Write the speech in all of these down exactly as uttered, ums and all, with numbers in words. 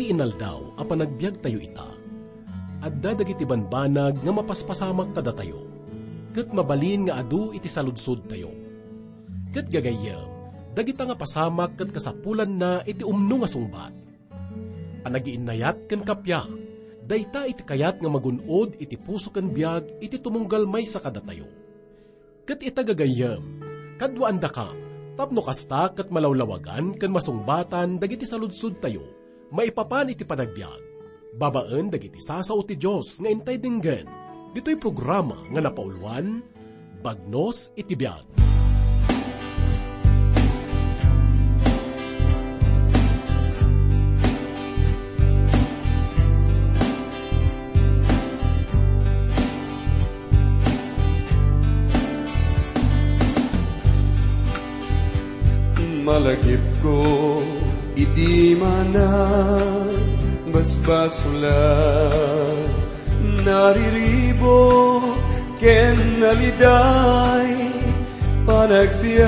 Iti inaldaw a panagbiagtayo ita, adda dagiti banbanag nga mapaspasamak kadatayo, ket mabalin nga adu iti saludsodtayo. Ket gagayyem, dagita nga pasamak ket kasapulanna iti umno nga sungbat. Panagiinnayat ken kappia, dayta iti kayat nga magun-od iti puso ken biag iti tumunggal maysa kadatayo. Ket ita gagayyem, kaduaandakam, tapno kasta ket malawlawagan ken masungbatan dagiti saludsodtayo maipapan iti panagbiag, babaen dagiti sasao ti Dios nga intay denggen, ditoy programa nga napauluan, Bagnos iti Biag. Malagipko idi manang basbasulan, nariribuk ken naliday panagbiag.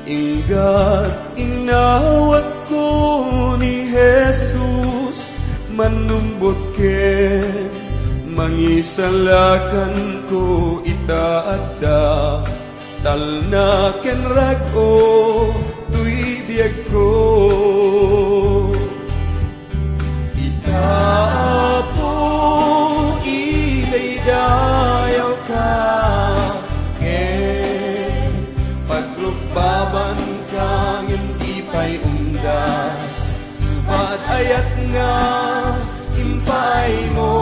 Inggat inawatko ni Jesus, mannumbot ken mangisalakanko ita adda talna ken rag-o toy biagko. Ita, Apo, idaydayawka, ken pagrukbabanka ngem di pay umdas, subat ayat nga impaaymo.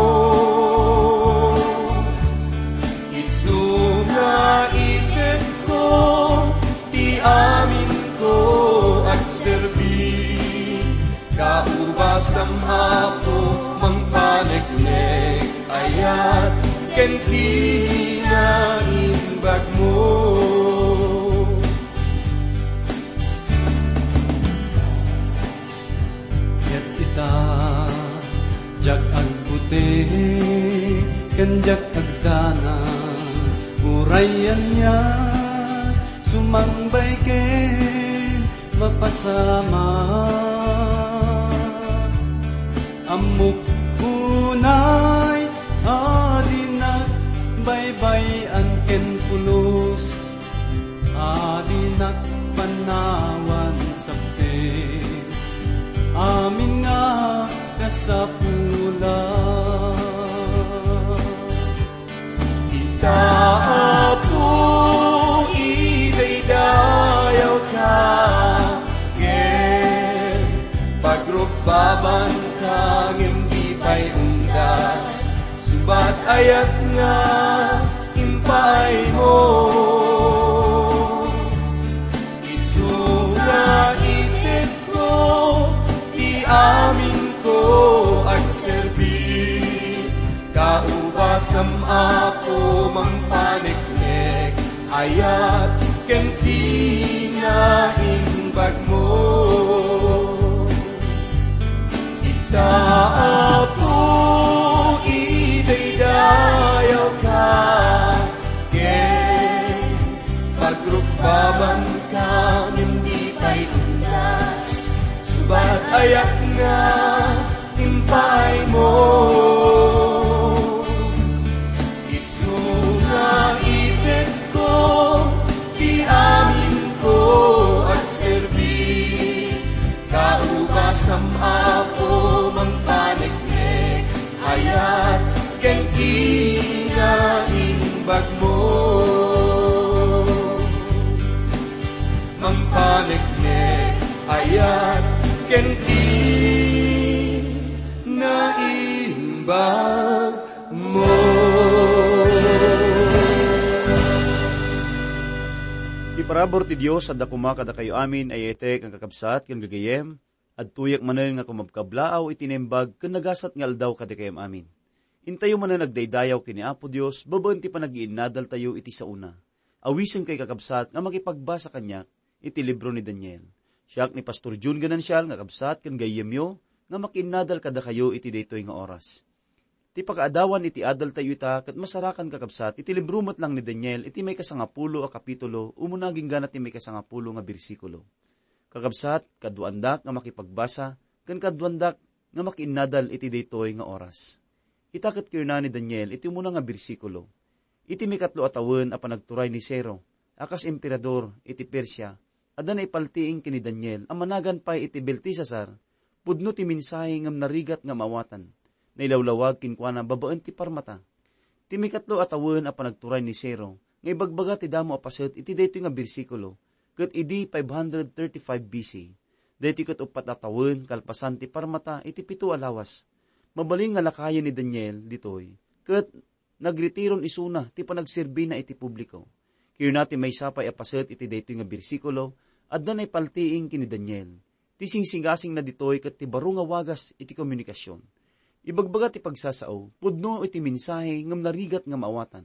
Isu nga itetko ti aminko agserbi. Kaubasam, Apo, mangpaneknek, ayat ken kinaimbagmo. Ket ita, diak agbuti ken diak agdanag, uray ania, sumangbay ken mapasamak. Ammok unay a dinak baybay-an ken pulos, a dinak panawan sabte amin nga kasapulan. Ita, Apo, idaydayawka, ken pagrukbabanka, ngem di pay umdas, subat ayat nga impaaymo. Isu nga itetko ti aminko agserbi. Kaubasam, Apo, mangpaneknek, ayat ken kinaimbagmo. Ita, Apo, idaydayawka, ken pagrukbabanka ngem di pay umdas, subat ayat nga impaaymo. Isu nga itetko ti aminko agserbi. Kaubasam, Apo, mangpaneknek, ayat ken kinaimbagmo. Mangpaneknek, ayat ken kinaimbagmo. Ti parabur ti Dios adda koma kadakayo amin a yayatek a kakabsat ken gagayyem. Adtoyak manen nga kumabkablaaw iti naimbag ken nagasat nga aldaw kadakayam amin. Intayo manen agdaydayaw ken ni Apo Dios babaen ti panagiinnadaltayo iti saona. Awisenkayo, kakabsat, nga makipagbasa kaniak iti libro ni Daniel. Siak ni Pastor Jun Ganancial nga kabsat ken gayyemyo nga makiinnadal kadakayo iti daytoy nga oras. Ti pakaadawan iti adaltayo ita ket masarakan, kakabsat, iti libro met lang ni Daniel iti maikasangapulo a kapitulo, umuna agingga ti maikasangapulo nga bersikulo. Kakabsat, kaduandak nga makipagbasa, ken kaduandak nga makiinnadal iti daytoy nga oras. Ita ket kinuna ni Daniel iti umuna nga bersikulo, "Iti mikatlo a tawen a panagturay ni Ciro a kas emperador iti Persia, adda naipaltiing ken ni Daniel a managan pay iti Beltesazar, pudno ti mensahe ngem narigat nga maawatan. Nailawlawag kenkuana babaen ti parmata." Ti mikatlo a tawen a panagturay ni Ciro nga ibagbaga ti damo a paset iti daytoy nga bersikulo, ket idi five hundred thirty-five B C, daytoy ket uppat a tawen kalpasan ti parmata iti pito a lawas. Mabalin nga lakayen ni Daniel ditoy, ket nagritiron isuna ti panagserbina iti publiko. Kinuna ti maysa pay a paset iti daytoy nga bersikulo, adda naipaltiing ken ni Daniel. Ti singsingasingna ditoy ket ti baro nga wagas iti komunikasion. Ibagbaga ti pagsasao, pudno iti mensahe ngem narigat nga maawatan.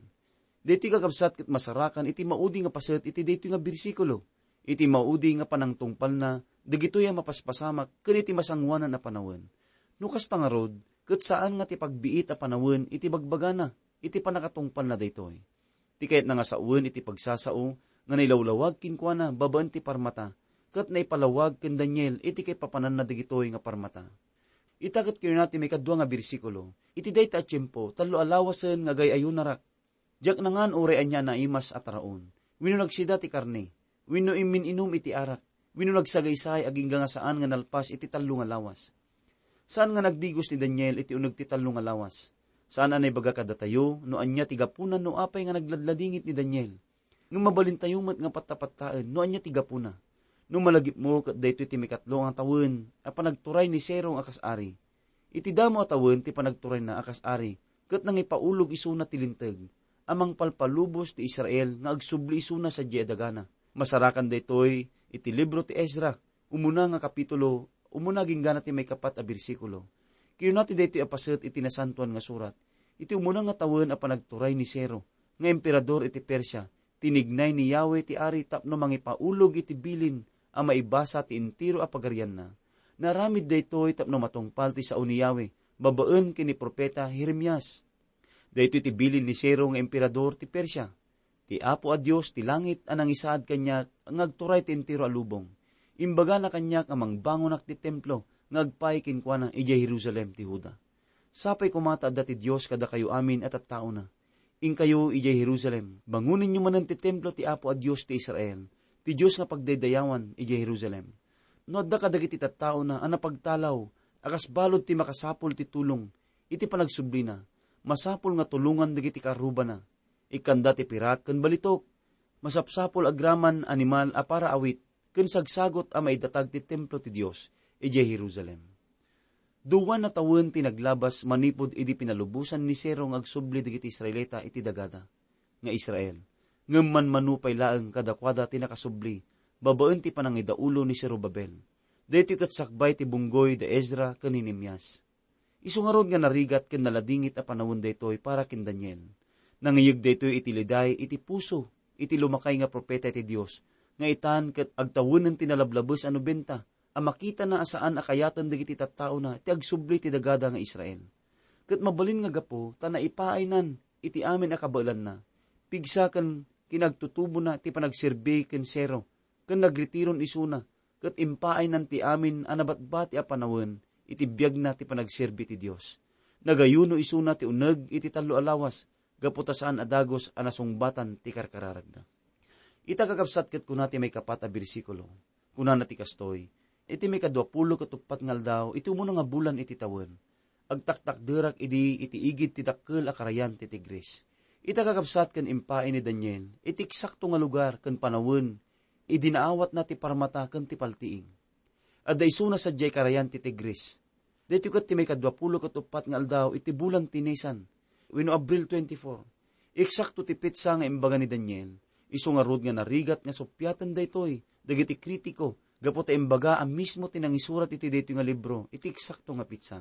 Daytoy, kakabsat, ket masarakan iti maudi nga paset iti daytoy nga bersikulo, iti maudi nga panangtungpalna dagitoy a mapaspasamak ken iti masangoanan a panawen. No kasta ngarud, ket saan nga ti pagbiit a panawen iti bagbagana iti pannakatungpalna daytoy. Ti kayatna nga sawen iti pagsasao nga nailawlawag kenkuana babaen ti parmata, ket naipalawag ken Daniel iti kaipapananna dagitoy nga parmata. Ita ket kinuna ti maikadua nga bersikulo, "Iti dayta a tiempo, tallo a lawasen nga agay-ayunarak. Diak nangan uray ania a naimas a taraon, wenno nagsida ti karne, wenno immin-inum iti arak, wenno nagsagaysay agingga nga saan nga nalpas iti tallo nga lawas." Saan nga nagdigos ni Daniel iti uneg ti tallo nga lawas. Saan a naibaga kadatayo no ania ti gapuna no apay nga nagladladingit ni Daniel. Ngem mabalintayo met nga pattapattaen no ania ti gapuna. No malagipmo ket daytoy ti mikatlo nga tawen a panagturay ni Ciro a kas ari. Iti damo a tawen ti panagturayna a kas ari, ket nangipaulog isuna ti linteg a mangpalpalubos ti Israel nga agsubli isuna sadiay a dagana. Masarakan daytoy iti libro ti Ezra, umuna nga kapitulo, umuna agingga ti maikapat a bersikulo. Kinuna ti daytoy a paset iti Nasantoan nga Surat, iti umuna nga tawen a panagturay ni Ciro nga emperador iti Persia, tinignay ni Yahweh ti ari tapno mangipaulog iti bilin a maibasa ti entero a pagarianna. Naaramid daytoy tapno matungpal ti sao ni Yahweh babaen ken ni profeta Jeremias. Daytoy ti bilin ni Ciro nga emperador ti Persia. Ti Apo a Dios ti langit a nangisaad kaniak nga agturay ti entero a lubong. Imbagana kaniak a mangbangonak ti templo nga agpaay kenkuana idiay Jerusalem ti Juda. Sapay koma ta adda ti Dios kadakayo amin a tattaona. Inkayo idiay Jerusalem, bangonenyo manen ti templo ti Apo a Dios ti Israel, ti Dios nga pagdaydayawan idiay Jerusalem. No adda kadagiti tattaona a napagtalaw a kas balud ti makasapul ti tulong iti panagsublina, masapul nga tulongan dagiti kaarrubana. Ikkanda ti pirak ken balitok. Masapsapul agraman animal a para awit ken sagsagut a maidatag ti templo ti Dios idiay Jerusalem. Duwan a tawen ti naglabas manipud idi pinalubosan ni Ciro nga agsubli dagiti Israelita iti dagada nga Israel. Ngem manmano pay laeng kadakuada ti nakasubli babaen ti panangidaulo ni Zorobabel. Daytoy ket sakbay ti bunggoy da Ezra ken Nehemias. Isu ngarud nga narigat ken naladingit a panawen daytoy para ken Daniel. Nangiyeg daytoy iti liday iti puso iti lumakay nga profeta iti Dios, nga itan ket agtawenen ti nalablabes a nobenta a makitana a saan a kayaten dagiti tattaona ti agsubli ti dagada nga Israel. Ket mabalin nga gapu ta naipaaynan iti amin a kabaelanna, pigsa ken kinagtutubona ti panagserbi ken Ciro, ken nagritiron isuna, ket impaaynan ti amin a nabatbati a panawen iti biagna ti panagserbi ti Dios. Nagayuno isuna ti uneg iti tallo a lawas, gapu ta saan a dagus a nasungbatan ti karkararagna. Ita, kakabsat, ket kuna ti maikapat a bersikulo. Kunana ti kastoy, "Iti maikadua pulo ket uppat nga aldaw, iti umuna nga bulan iti tawen, agtaktakderak idi iti igid ti dakkel a karayan ti Tigris." Ita, kakabsat, ken impaay ni Daniel iti eksakto nga lugar ken panawen idi naawatna ti parmata ken ti paltiing. Adda isuna sadiay karayan ti Tigris. Daytoy ket ti maikadua pulo ket uppat nga aldaw iti bulan ti Nisan, wenno Abril twenty-four. Eksakto ti petsa nga imbaga ni Daniel. Isu ngarud nga narigat nga suppiaten daytoy dagiti kritiko gapu ta imbaga a mismo ti nangisurat iti daytoy nga libro iti eksakto nga petsa.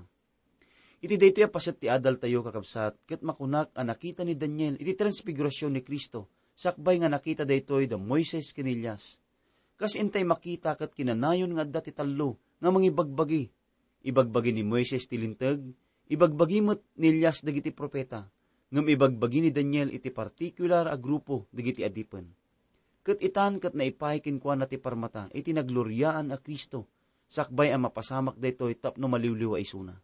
Iti daytoy a paset ti adaltayo, kakabsat, ket makunak a nakita ni Daniel iti transfigurasyon ni Cristo, sakbay nga nakita daytoy da Moises ken Elias. Kas intay makita ket kinanayon nga adda ti tallo nga mangibagbagi. Ibagbagi ni Moises ti linteg, ibagbagi met ni Elias dagiti profeta, ngem ibagbagi ni Daniel iti partikular a grupo dagiti adipen. Ket itan ket naipaay kenkuana ti parmata iti nagloriaan a Cristo, sakbay a mapasamak daytoy tapno maliwliwa isuna.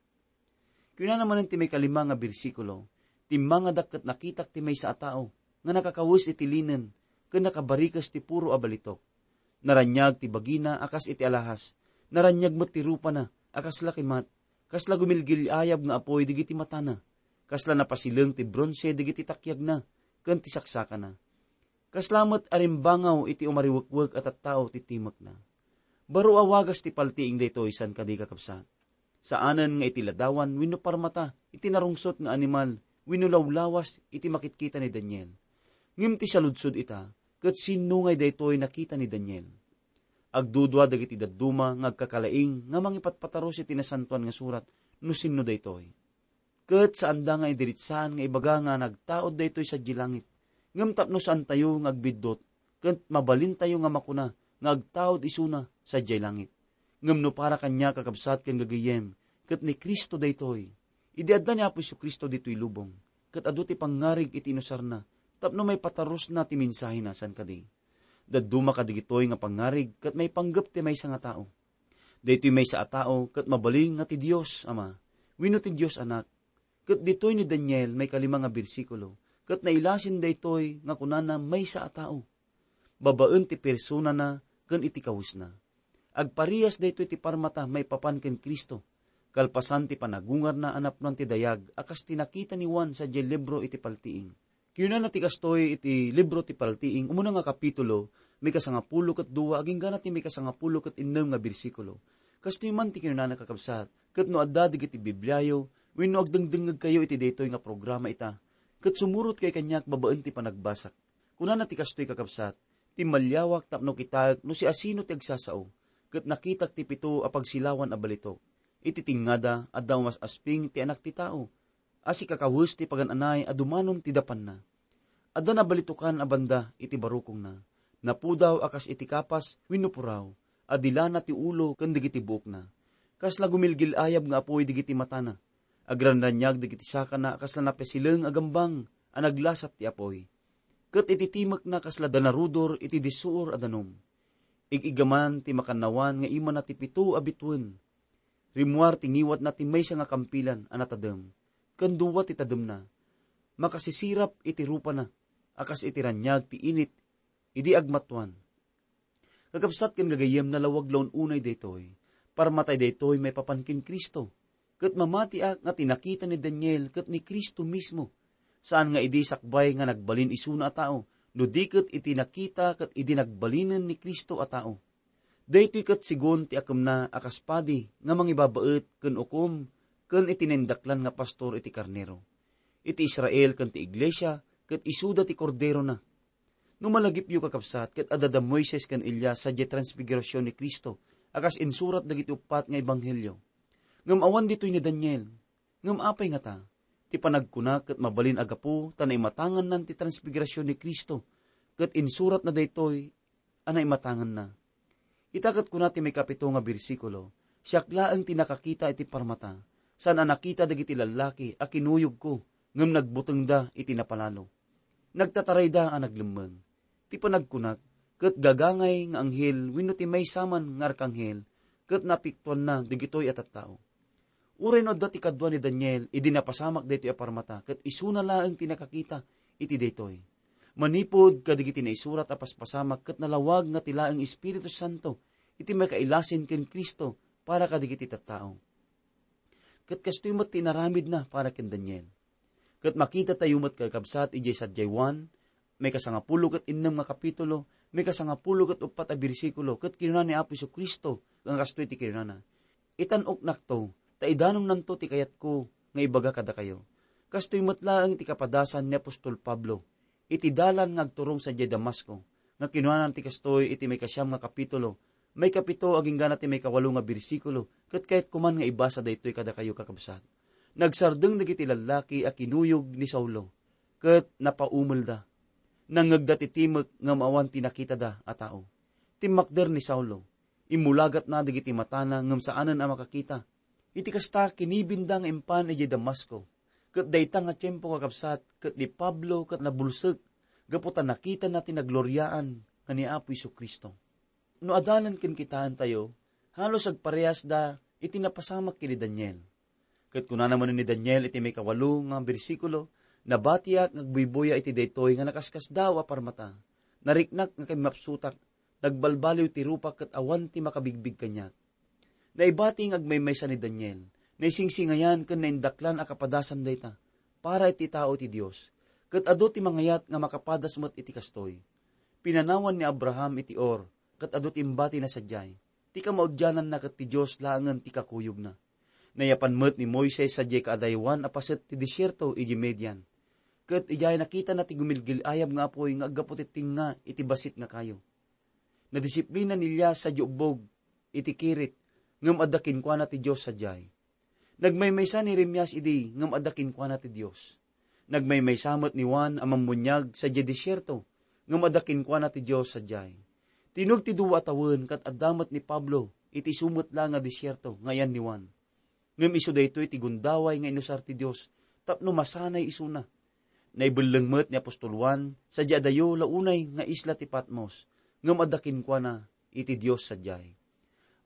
Kinunana manen ti maikalima nga bersikulo, "Timmangadak ket nakitak ti maysa a tao nga nakakawes iti linen ken nakabarikes ti puro a balitok. Naraniag ti bagina a kas iti alahas, naraniag met ti rupana a kasla kimat, kasla gumilgil-ayab nga apuy dagiti matana, kasla napasileng ti bronse dagiti takyagna ken ti saksakana. Kasla met a rimbangaw iti umariwekwek a tattao ti timekna." Baro a wagas ti paltiing daytoy, saan kadi, kakabsat? Saanen nga iti ladawan wenno parmata iti narungsot nga animal wenno lawlawas iti makitkita ni Daniel. Ngem ti saludsod ita, ket sinno ngay daytoy nakita ni Daniel? Agdudua dagiti dadduma nga agkakalaing nga mangipatpataros iti Nasantoan nga Surat no sinno daytoy. Ket saanda nga idiritsaan nga ibaga nga nagtaud daytoy sadiay langit. Ngem tapno saantayo nga agbiddut, ket mabalintayo nga makuna nga agtaud isuna sadiay langit. Ngem no para kaniak, kakabsat ken gagayyem, ket ni Cristo daytoy, idi adda ni Apo Jesu-Cristo ditoy lubong, ket adu ti pangngarig iti inusarna tapno maipatarusna ti mensahena, saan kadi? Dadduma kadagitoy nga pangngarig ket maipanggep ti maysa nga tao. Daytoy maysa a tao ket mabalin nga ti Dios Ama wenno ti Dios Anak. Ket ditoy ni Daniel, maikalima nga bersikulo, ket nailasin daytoy nga kunana maysa a tao. Babaen ti personana ken iti kawesna. Agparias daytoy ti parmata maipapan ken Cristo, kalpasan ti panagungarna a napnoan ti dayag a kas ti nakita ni Juan sadiay libro iti paltiing. Kinunana ti kastoy iti libro ti paltiing, umuna nga kapitulo, maikasangapulo ket dua, aginggana ti maikasangapulo ket innem nga bersikulo. Kastoy man ti kinunana, kakabsat, ket no adda dagiti Bibliayo, wenno agdengdengngegkayo iti daytoy nga programa ita, ket sumurotkayo kaniak babaen ti panagbasak. Kunana ti kastoy, kakabsat, "Timmaliawak tapno kitaek no siasino ti agsasao, ket nakitak ti pito a pagsilawan a balitok. Iti tingngada, adda umas-asping ti Anak ti Tao a sikakawes ti pagan-anay a dumanon ti dapanna. Adda nabalitokan a banda iti barukongna. Napudaw a kas iti kapas wenno puraw, a dilana ti ulo ken dagiti buokna. Kasla gumilgil-ayab nga apuy dagiti matana. Agranraniag dagiti sakana a kasla napasileng a gambang a naglasat ti apuy. Ket iti timekna kasla danarudor iti dissuor a danum. Ig-igaman ti makannawan nga imana ti pito a bituen. Rimmuar ti ngiwatna ti maysa nga kampilan a natadem, ken dua ti tademna. Makasisirap iti rupana a kas iti raniag ti init idi agmatuan." Kakabsat ken gagayyem, nalawag la un-unay daytoy. Parmatay daytoy maipapan ken Cristo. Ket mamatiak nga ti nakita ni Daniel ket ni Cristo mismo. Saan nga idi sakbay nga nagbalin isuna a tao, no di ket iti nakita ket idi nagbalinen ni Cristo a tao. Daytoy ket segun ti akemna a kas padi nga mangibabaet ken ukom ken iti naindaklan nga pastor iti karnero. Iti Israel ken ti iglesia ket isuda ti Korderona. No malagipyo, kakabsat, ket adda da Moises ken Elias sadiay transfigurasion ni Cristo a kas insurat dagiti uppat nga ebanghelio. Ngem awan ditoy ni Daniel. Ngem apay ngata? Ti panagkuna ket mabalin a gapu ta naimatangannan ti transfigurasion ni Cristo, ket insuratna daytoy a naimatanganna. Ita ket kuna ti maikapito nga bersikulo, "Siak laeng ti nakakita iti parmata, saan a nakita dagiti lallaki a kinuyogko, ngem nagbutengda iti napalalo. Nagtatarayda a naglemmeng." Ti panagkunak, ket gagangay nga anghel wenno ti maysa man nga arkanghel, ket napiktuanna dagitoy a tattao. Uray no adda ti kadua ni Daniel idi napasamak daytoy a parmata, ket isuna laeng ti nakakita iti daytoy. Manipud kadagiti naisurat a paspasamak, ket nalawag nga ti laeng Espiritu Santo iti makailasin ken Cristo para kadagiti tattao. Ket kastoy met ti inaramidna para ken Daniel. Ket makitatayo met, kakabsat, idiay sadiay Juan, maikasangapulo ket innem nga kapitulo, maikasangapulo ket uppat a bersikulo, ket kinuna ni Apo Jesu-Cristo nga kastoy ti kinunana, "Itan-oknakto, ta idanonnanto ti kayatko nga ibaga kadakayo." Kastoy met laeng ti kapadasan ni apostol Pablo iti dalan nga agturong sadiay Damasco, nga kinunana ti kastoy iti maikasiam nga kapitulo, maikapito aginggana ti maikawalo nga bersikulo, ket kayatko man nga ibasa daytoy kadakayo, kakabsat. Nagsardeng dagiti lallaki a kinuyog ni Saulo, ket napaumelda. Nangngegda ti timek ngem awan ti nakitada a tao. Timmakder ni Saulo. Immulagatna dagiti matana ngem saanen a makakita. Iti kasta, kinibinda nga impan idiay Damasco. Ket dayta nga tiempo, kakabsat, ket ni Pablo ket nabulsek gapu ta nakitana ti nagloriaan nga ni Apo Jesu-Cristo. No adalen ken kitaentayo, halos agparehasda iti napasamak ken ni Daniel. Ket kunana manen ni Daniel iti maikawalo nga bersikulo, "Nabatiak nga agbuybuya iti daytoy nga nakaskasdaaw a parmata. Nariknak nga kimmapsutak, nagbalbaliw ti rupak ket awan ti makabigbig kaniak." Naibati nga agmaymaysa ni Daniel, naisingsingayan ken naindaklan a kapadasan dayta para iti tao ti Dios, ket adu ti mangayat nga makapadas met iti kastoy. Pinanawan ni Abraham iti Ur, ket adu ti imbatina sadiay. Ti kamaudiananna ket ti Dios laengen ti kakuyogna. Nayapan met ni Moises sadiay kaadaywan a paset ti desierto idiay Midian. Ket idiay nakitana ti gumilgil-ayab nga apuy nga aggapu ti tengnga iti bassit nga kayo. Nadisiplina ni Elias sadiay ubbog iti kirit, ngem adda kenkuana ti Dios sadiay. Nagmaymaysa ni Jeremias idi, ngem adda kenkuana ti Dios. Nagmaymaysa met ni Juan a Mammuniag sadiay desierto, ngem adda kenkuana ti Dios sadiay. Tinug ti dua a tawen ket adda met ni Pablo iti isu met la nga desierto nga ayan ni Juan. Ngem isu daytoy ti gundaway nga inusar ti Dios tapno masanay isuna. Naibelleng met ni apostol Juan sadiay adayo la unay nga isla ti Patmos, ngem adda kenkuana iti Dios sadiay.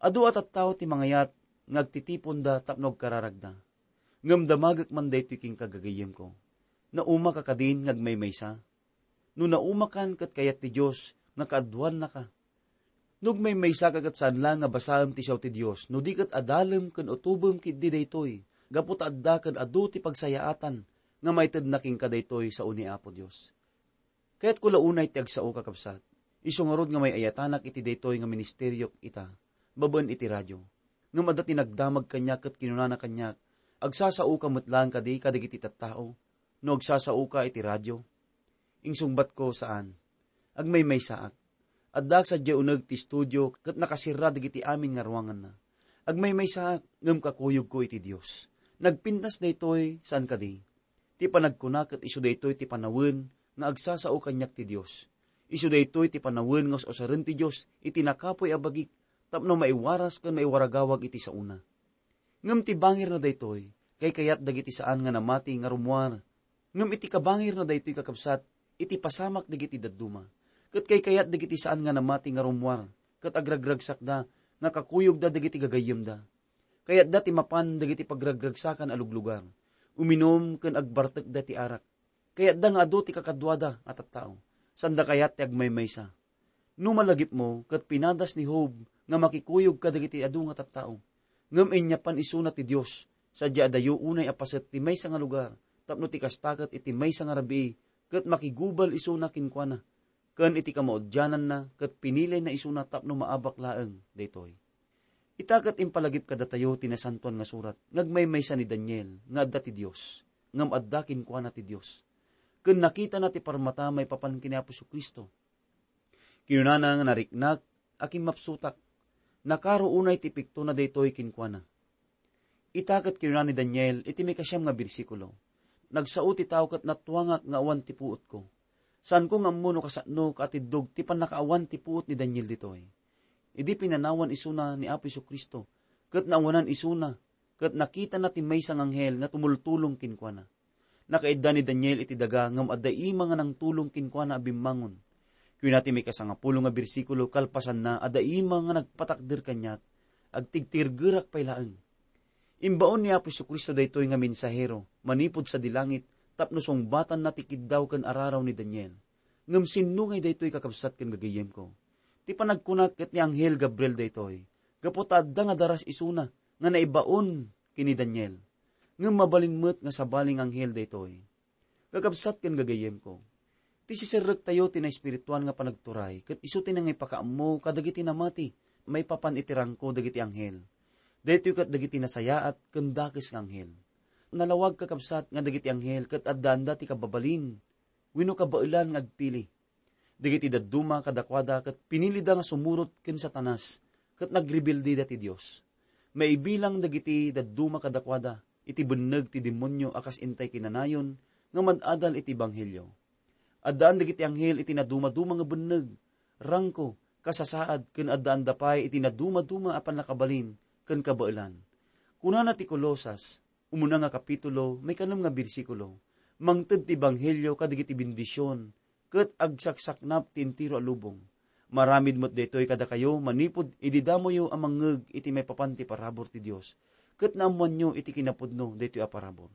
Adu a tattao ti mangayat nga agtitiponda tapno agkararagda. Ngem damagek man daytoy kenka, gagayyemko. Naumaka kadin nga agmaymaysa? No naumakan ket kayat ti Dios nga kaaduannaka. No agmaymaysaka ket saan la nga basaem ti siaw ti Dios, no di ket adalem ken utobem ketdi daytoy, gapu ta adda ken adu ti pagsayaatan nga maitedna kenka daytoy sao ni Apo Dios. Kayatko la unay ti agsao, kakabsat. Isu ngarud nga may-ayatanak iti daytoy nga ministeriok ita, babaen iti radio. Ngem adda ti nagdamag kaniak ket kinunana kaniak, "Agsasaoka met laeng kadi kadagiti tattao no agsasaoka iti radio?" Insungbatko, "Saan. Agmaymaysaak. Addaak sadiay uneg ti estudio ket nakasirra dagiti amin nga ruanganna. Agmaymaysaak ngem kakuyogko iti Dios. Nagpintas daytoy, saan kadi?" Ti panagkuna ket isu daytoy ti panawen nga agsasao kaniak ti Dios. Isu daytoy ti panawen nga us-usaren ti Dios iti nakapuy a bagik tapno maiwaras ken maiwaragawag iti saona. Ngem ti bangirna daytoy, kaykayat dagiti saan nga namati nga rummuar. Ngem iti kabangirna daytoy, kakabsat, iti pasamak dagiti dadduma. Ket kaykayat dagiti saan nga namati nga rummuar, ket agragragsakda nga kakuyogda dagiti gagayyemda. Kayatda ti mapan dagiti pagragragsakan a luglugar, uminum ken agbartekda ti arak. Kayatda nga adu ti kakaduada a tattao, sanda kayat ti agmaymaysa. No malagipmo ket pinadas ni Job nga makikuyog kadagiti adu nga tattao, ngem inyapan isuna ti Dios, sadiay adayo unay a paset ti maysa nga lugar, tapno ti kasta ket iti maysa nga rabii ket makigubal isuna kenkuana, ken iti kamaudiananna ket pinilayna isuna tapno maabak laeng daytoy. Ita ket impalagip kadatayo ti Nasantoan nga Surat nga agmaymaysa ni Daniel nga adda ti Dios, ngem adda kenkuana ti Dios. Ken nakitana ti parmata maipapan ken ni Apo Jesu-Cristo. Kinunana nga nariknak a kimmapsutak. Nakaro unay ti piktona daytoy kenkuana. Ita ket kinuna ni Daniel iti maikasiam nga bersikulo, "Nagsao ti tao ket natuangak nga awan ti puotko. Saanko nga ammo no kasano kaatiddog ti pannakaawan ti puot ni Daniel ditoy." Idi pinanawan isuna ni Apo Jesu-Cristo, ket naawanan isuna, ket nakitana ti maysa nga anghel nga tumultulong kenkuana. Nakaidda ni Daniel iti daga ngem adda ima nga nangtulong kenkuana a bimmangon. Kuna ti maikasangapulo nga bersikulo, kalpasanna, adda ima nga nagpatakder kaniak, agtigtirgerak pay laeng. Imbaon ni Apo Jesu-Cristo daytoy nga mensahero manipud sadi langit tapno sungbatanna ti kiddaw ken araraw ni Daniel. Ngem sinno ngay daytoy, kakabsat ken gagayyemko? Ti panagkunak ket ni anghel Gabriel daytoy, gapu ta adda nga daras isuna nga naibaon ken ni Daniel. Ngem mabalin met nga sabali nga anghel daytoy. Kakabsat ken gagayyemko, ti siserrektayo ti naespirituan nga panagturay ket isu ti nangipakaammo kadagiti namati maipapan iti rangko dagiti anghel. Daytoy ket dagiti nasayaat ken dakes nga anghel. Nalawag, kakabsat, nga dagiti anghel ket addaanda ti kababalin wenno kabaelan nga agpili. Dagiti dadduma kadakuada ket pinilida nga sumurot ken Satanas ket nagrebelde dati Dios. Maibilang dagiti dadduma kadakuada iti benneg ti demonio a kas intay kinanayon nga mad-adal iti ebanghelio. Addaan dagiti anghel iti nadumaduma nga benneg, rangko, kasasaad, ken addaanda pay iti nadumaduma a pannakabalin ken kabaelan. Kunana ti Colosas, umuna nga kapitulo, maikanem nga bersikulo, "Mangted ti ebanghelio kadagiti bendision, ket agsaksaknap ti entero a lubong. Maaramid met daytoy kadakayo manipud idi damoyo a mangngeg iti maipapan ti parabur ti Dios, ket naammoanyo iti kinapudno daytoy a parabur.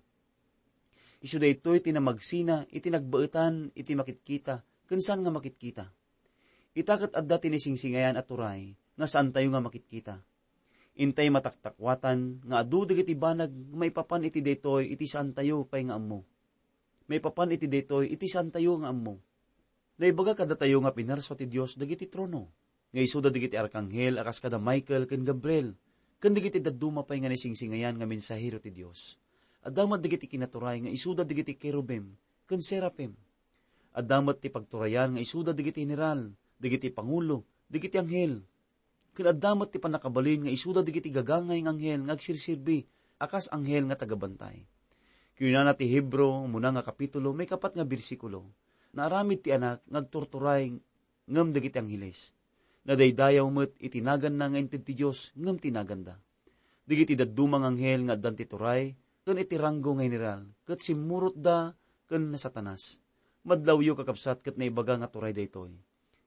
Isu daytoy ti namagsina iti nagbaetan iti makitkita ken saan nga makitkita. Ita ket adda ti naisingsingayan a turay nga saantayo nga makitkita. Intay mataktakuatan nga adu dagiti banag nga maipapan iti daytoy iti saantayo pay nga ammo. Maipapan iti daytoy iti saantayo nga ammo. Naibaga kadatayo nga pinarso ti Dios dagiti trono, nga isuda dagiti arkanghel a kas kada Michael ken Gabriel, ken dagiti dadduma pay nga naisingsingayan nga mensahero ti Dios. Adda met dagiti kinaturay nga isuda dagiti kerubim ken serafim. Adda met ti pagturayan nga isuda dagiti general, dagiti pangulo, dagiti anghel. Ken adda met ti pannakabalin nga isuda dagiti gagangay nga anghel nga agserserbi a kas anghel nga tagabantay. Kinunana ti Hebreo, umuna nga kapitulo, maikapat nga bersikulo, naaramid ti Anak nga agturturay ngem dagiti angheles. Nadaydayaw met iti naganna nga inted ti Dios ngem ti naganda. Dagiti dadduma nga anghel nga addan ti turay ken iti ranggo nga general, ket simmurotda ken ni Satanas. Madlawyo, kakabsat, ket naibaga nga turay daytoy.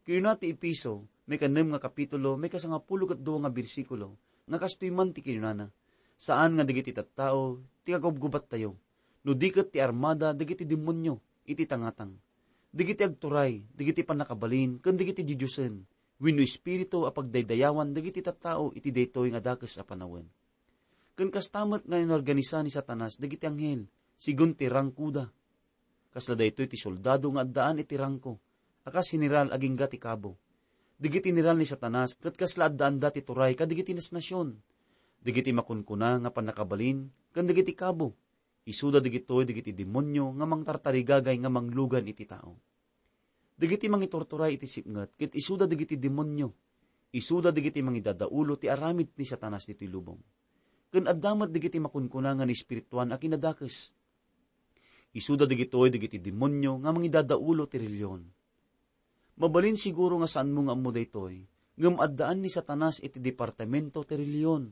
Kinuna ti Efeso, maikanem nga kapitulo, maikasangapulo ket dua nga bersikulo, nga kastoy man ti kinunana, saan nga dagiti tattao ti kagubgubattayo, no di ket ti armada dagiti demonio iti tangatang, dagiti agturay, dagiti pannakabalin, ken dagiti didiosen, wenno espiritu a pagdaydayawan dagiti tattao iti daytoy nga dakes a panawen. Ken kasta met nga inorganisa ni Satanas dagiti anghel, segun ti rangkoda. Kasla daytoy ti soldado nga addaan iti rangko a kas general agingga ti kabo. Dagiti general ni Satanas ket kasla addaanda ti turay kadagiti nasnasion. Dagiti makunkuna nga pannakabalin ken dagiti kabo, isuda dagitoy dagiti demonio nga mangtartarigagay nga manglugan iti tao. Dagiti mangiturturay iti sipnget ket isuda dagiti demonio. Isuda dagiti mangidadaulo ti aramid ni Satanas ditoy lubong. Ken adda met dagiti makunkuna nga naespirituan a kinadakes. Isuda dagitoy dagiti demonio nga mangidadaulo ti relihion. Mabalin siguro nga saanmo nga ammo daytoy, ngem addaan ni Satanas iti departamento ti relihion.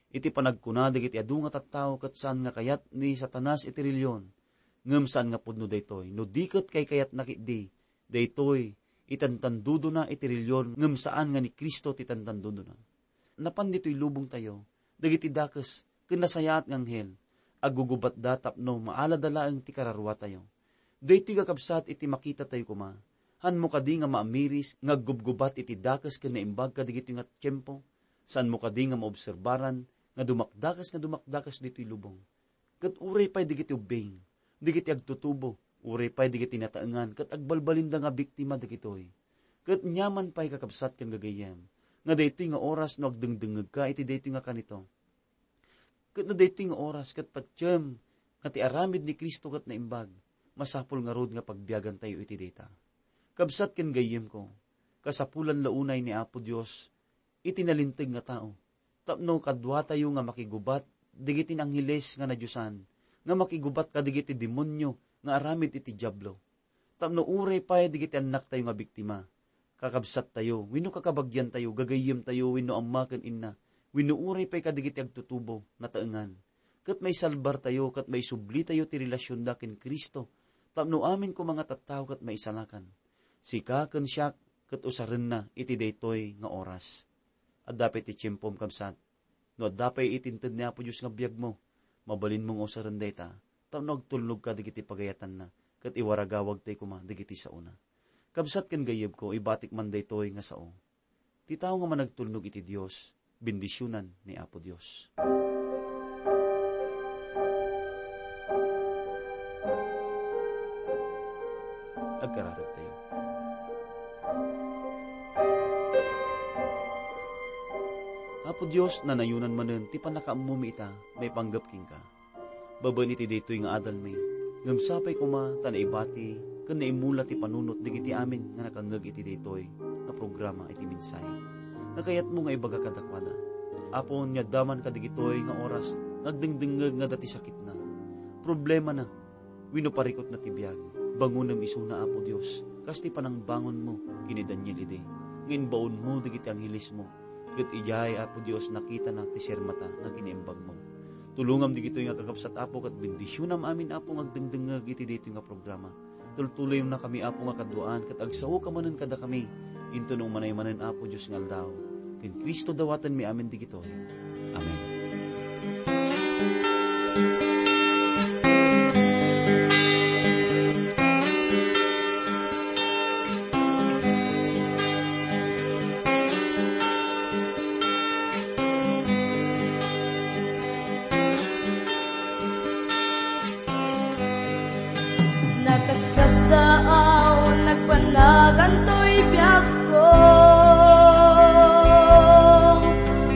Iti panagkuna dagiti adu nga tattao ket saan nga kayat ni Satanas iti relihion, ngem saan nga pudno daytoy, no di ket kaykayatna ketdi daytoy itantandudona iti relihion ngem saan nga ni Cristo ti tantandudona. Napan ditoy lubongtayo dagiti dakes ken nasayaat nga anghel, aggugubatda tapno maalada laeng ti kararuatayo. Daytoy, kakabsat, iti makitatayo koma. Haanmo kadi nga maamiris nga aggubgubat iti dakes ken naimbag kadagitoy nga tiempo? Saanmo kadi nga maobserbaran nga dumakdakes nga dumakdakes ditoy lubong? Ket uray pay dagiti ubbing, dagiti agtutubo, uray pay dagiti nataengan ket agbalbalinda nga biktima dagitoy. Ket aniaman pay, kakabsat ken gagayyem, nga daytoy nga oras no agdengdengngegka iti daytoy nga kanito. Ket no daytoy nga oras ket patiem nga ti aramid ni Cristo ket naimbag, masapul ngarud nga pagbiagantayo iti dayta. Kabsat ken gayyemko, kasapulan la unay ni Apo Dios iti nalinteg nga tao, tapno kaduatayo nga makigubat dagiti angheles nga nadiosan, nga makigubat kadagiti demonio nga aramid iti Diablo. Tapno uray pay dagiti annaktayo nga biktima, kakabsattayo, wenno kakabagiantayo, gagayyemtayo, wenno ama ken inna, wenno uray pay kadagiti agtutubo, nataengan, ket maisalbartayo ket maisublitayo ti relasionna ken Cristo, tapno amin koma nga tattao ket maisalakan. Sika ken siak ket usarenna iti daytoy nga oras. Adda pay ti tiempom, kabsat. No adda pay iti inted ni Apo Dios nga biagmo, mabalinmo nga usaren dayta, tapno agtulnog ka dagiti pagayatanna, ket iwaragawagtay koma dagiti saona. Kabsat ken gayyemko, ibatik man daytoy nga sao. Ti tao nga managtulnog iti Dios, bendisionan ni Apo Dios. Agkararagtayo. Apo Dios, nanayonan manen ti pannakaammomi ita maipanggep kenka. Babaen iti daytoy nga adalmi, ngem sapay koma ta naibati ken naimula ti panunot dagiti amin nga nakangngeg iti daytoy nga programa iti mensahe nga kayatmo nga ibaga kadakuada. Apo, no adda man kadagitoy nga oras nga agdengdengngeg nga adda ti sakitna, problemana, wenno parikutna ti biag, bangonem isuna, Apo Dios, kas ti panangbangonmo ken ni Daniel idi, nga imbaonmo dagiti anghelesmo, ket idiay, Apo Dios, nakitana ti sirmata nga kinaimbagmo. Tulongam dagitoy nga kakabsat, Apo, ket bendisionam amin, Apo, nga agdengdengngeg iti daytoy nga programa. Tultuloyamnakami, Apo, nga kaduaan, ket agsaoka manen kadakami intono umanay manen, Apo Dios nga aldaw. Ken Cristo dawatenmi amin digitoy. Amen. Nakaskasdaaw, nagpanagan toy biagko.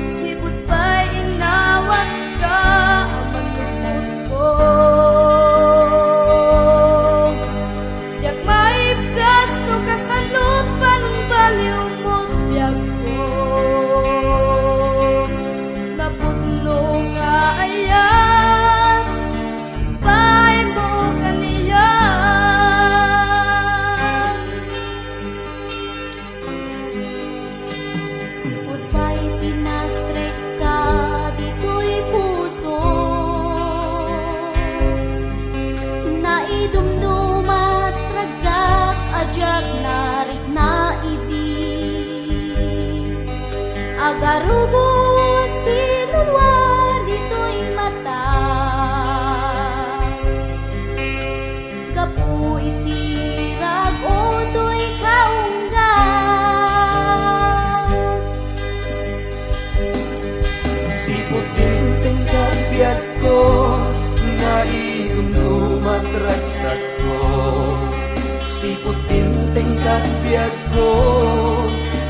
Sipud pay inawat ka a manlukotko. Diak maibkas no kasano pangbaliwmo ti biagko. Napudno nga ayat, bainmo kaniak. Sipud pay pinastrek ka ditoy puso, naidumdumat ragsak a diak narikna idi. Agarubos ti nulua ditoy mata. Gapu iti rag-o toy kaunggan. Sipud dimteng ket biagko, naidumdumat ragsakko. Sipud dimteng ket biagko,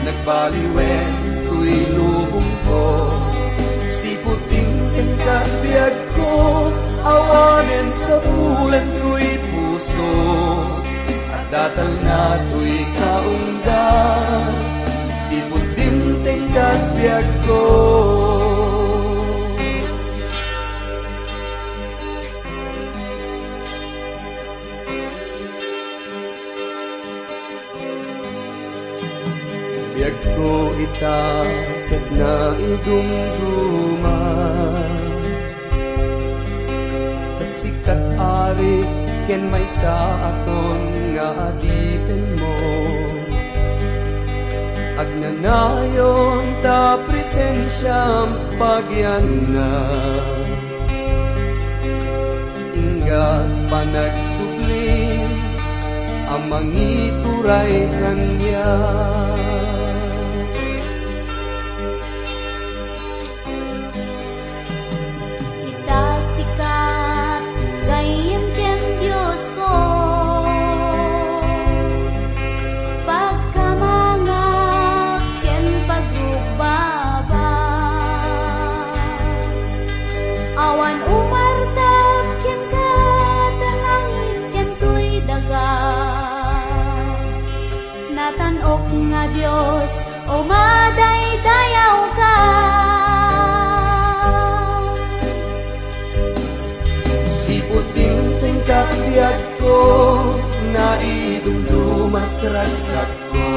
nagbaliwen toy lubongko. Sipud dimteng ket biagko, awanen sapulen toy puso. Adda talna toy kaunggan, sipud dimteng ket biagko. Biagko ita ket naidumduma. Ta sika ti Ari ken maysa a ton nga adipenmo. Agnanayon ta presensiam pagianna. Ingga panagsubli a mangituray kaniak. Ita sika ti gayyem ken Diosko, pagkamangak ken pagrugbabak. Awan umartak kenka ta langit ken toy daga. Natan-ok nga Dios, umadaydayaw ka. Sipud dimteng ket biagko, naidumduma ti ragsakko.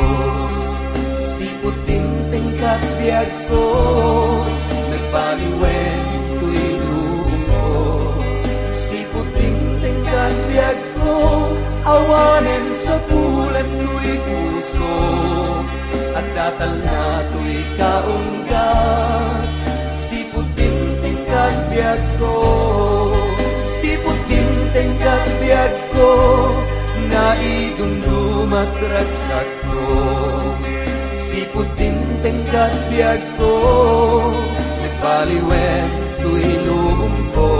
Sipud dimteng ket biagko, nagbaliwen toy lubongko. Sipud dimteng ket biagko, awanen sapulen toy puso. Adda talna toy kaunggan, sipud dimteng ket biagko. Sipud dimteng ket biagko, naidumduma ti ragsakko. Sipud dimteng ket biagko, nagbaliwen toy lubongko.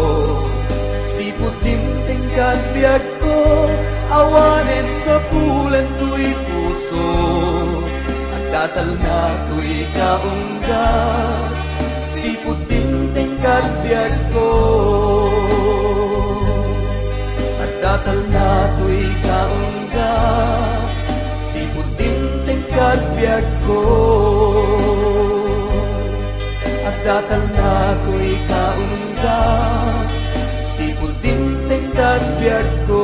Sipud dimteng ket biagko, awanen sapulen toy puso. Adda talna toy kaunggan, sipud dimteng ket biagko. Adda talna toy kaunggan, sipud dimteng ket biagko. Adda talna toy kaunggan, sipud dimteng ket biagko.